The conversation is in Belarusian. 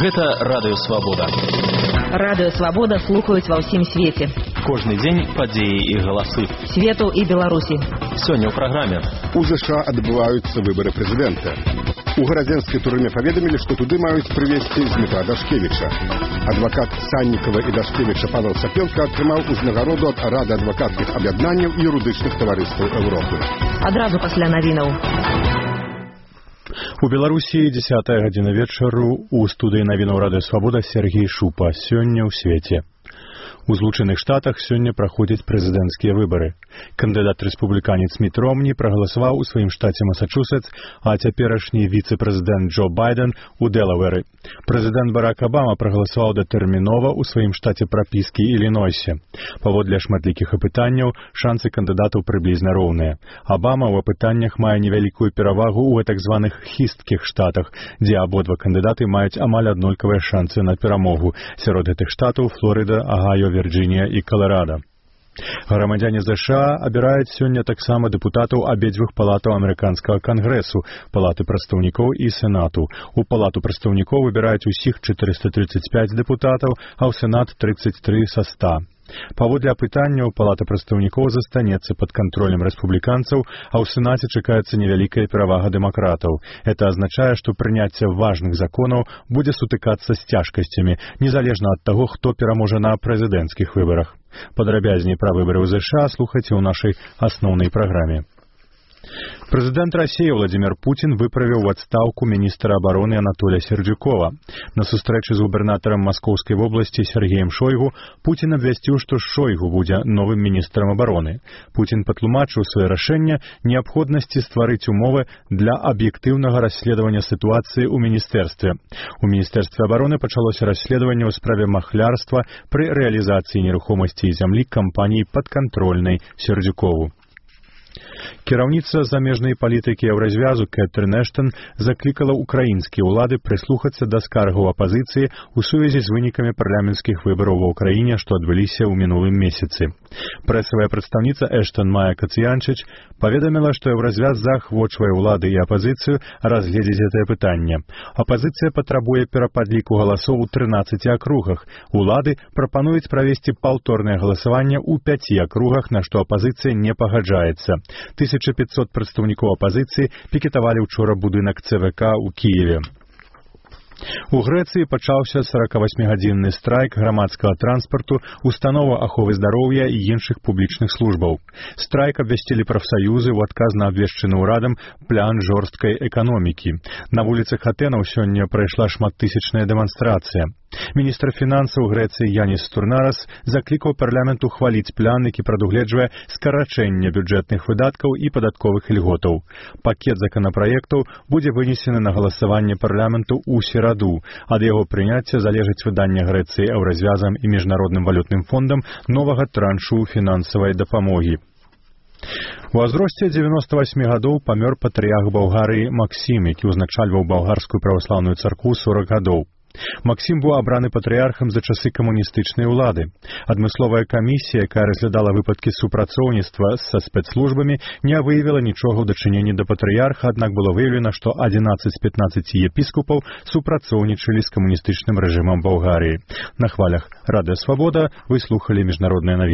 Гэта Радыё Свабода. Радыё Свабода слухаюць ва ўсім свеце. Кожны дзень падзеі і галасы. Свету і Беларусі. Сёння ў праграме. У США адбываюцца выбары прэзідэнта. У гарадзенскай турме паведамілі, што туды маюць прывезці Дмітра Дашкевіча. Адвакат Саннікава і Дашкевіча Павел Сапенко атрымаў узнагароду ад Рады адвакацкіх аб'яднанняў і юрыдычных таварыстваў Еўропы. Адразу пасля навінаў. У Беларусі 10 гадзіна вечару у студыі навінаў Радыё Свабода Сергей Шупа. Сёння ў свеце. У Злучаных Штатах сёння праходзяць прэзідэнцкія выбары. Кандыдат-рэспубліканец Міт Ромні прагаласаваў у сваім штаце Масачусетс, а цяперашні віцэ-прэзідэнт Джо Байден у Дэлавэры. Прэзідэнт Барак Абама прагаласаваў датэрмінова ў сваім штаце прапіскі Ілінойсе. Паводле шматлікіх апытанняў, шансы кандыдатаў прыблізна роўныя. Абама ў апытаннях мае невялікую перавагу ў так званых хісткіх штатах, дзе абодва кандыдаты маюць амаль аднолькавыя шансы на перамогу. Сярод гэтых штатаў Флорыда, Агайо, Вірджынія і Каларадо. Грамадзяне США абіраюць сёння таксама дэпутатаў абедзвюх палатаў амерыканскага кангрэсу, палаты прадстаўнікоў і сенату. У палату прадстаўнікоў выбіраюць усіх 435 дэпутатаў, а ў сенат 33 са 100. Паводле апытанняў, палата прадстаўнікоў застанецца пад кантролем рэспубліканцаў, а ў сенаце чакаецца невялікая перавага дэмакратаў. Это азначае, што прыняцце важных законаў будзе сутыкацца з цяжкасцямі, незалежна ад таго, хто пераможа на прэзідэнцкіх выбарах. Падрабязней пра выбары ў ЗША слухайце ў нашай асноўнай праграме. Прэзідэнт Расіі Владзімір Пуцін выправіў у адстаўку міністра абароны Анатолія Сердзюкова. На сустрэчы з губернатарам Маскоўскай вобласці Сергеем Шойгу Пуцін абвясціў, што Шойгу будзе новым міністрам абароны. Пуцін патлумачыў сваё рашэнне неабходнасці стварыць умовы для аб'ектыўнага расследавання сітуацыі ў міністэрстве. У міністэрстве абароны пачалося расследаванне ў справе махлярства пры рэалізацыі нерухомасці і зямлі кампаніі падкантрольнай Сердзюкову. Кіраўніца замежнай палітыкі Еўразвязу Кэтрын Эштон заклікала ўкраінскія ўлады прыслухацца да скаргаў апазіцыі ў сувязі з вынікамі парламенцкіх выбараў ва ўкраіне, што адбыліся ў мінулым месяцы. Прэсавая прадстаўніца Эштон Майя Кацыянчыч паведаміла, што Еўразвяз заахвочвае ўлады і апазіцыю разгледзець гэтае пытанне. Апазіцыя патрабуе перападліку галасоў у 13 акругах. Улады прапануюць правесці паўторнае галасаванне ў 5 акругах, на што апазіцыя не пагаджаецца. 1500 прадстаўнікоў апазіцыі пікетавалі ўчора будынак ЦВК ў Кіеве. У Грэцыі пачаўся 48-гадзінны страйк грамадскага транспарту, установаў аховы здароўя і іншых публічных службаў. Страйк абвясцілі прафсаюзы ў адказ на абвешчаны ўрадам план жорсткай эканомікі. На вуліцах Атэнаў сёння прайшла шматтысячная дэманстрацыя. Міністр фінансаў Грэцыі Яніс Турнарас заклікаў парламент ухваліць план, які прадугледжвае скарачэнне бюджэтных выдаткаў і падатковых ільготаў. Пакет законапраектаў будзе вынесены на галасаванне парламенту ў сераду. Ад яго прыняцця залежыць выданне Грэцыі Еўразвязам і міжнародным валютным фондам новага траншу фінансавай дапамогі. У ўзросце 98 гадоў памёр патрыярх Балгарыі Максім, які ўзначальваў балгарскую праваслаўную царкву 40 гадоў. Максім быў абраны патрыярхам за часы камуністычнай улады. Адмысловая камісія, якая разглядала выпадкі супрацоўніцтва са спецслужбамі, не выявіла нічога ў дачыненні да патрыярха, аднак было выяўлена, што 11 з 15 епіскопаў супрацоўнічалі з камуністычным рэжымам Балгарыі. На хвалях Радыё Свабода вы слухалі міжнародныя навіны.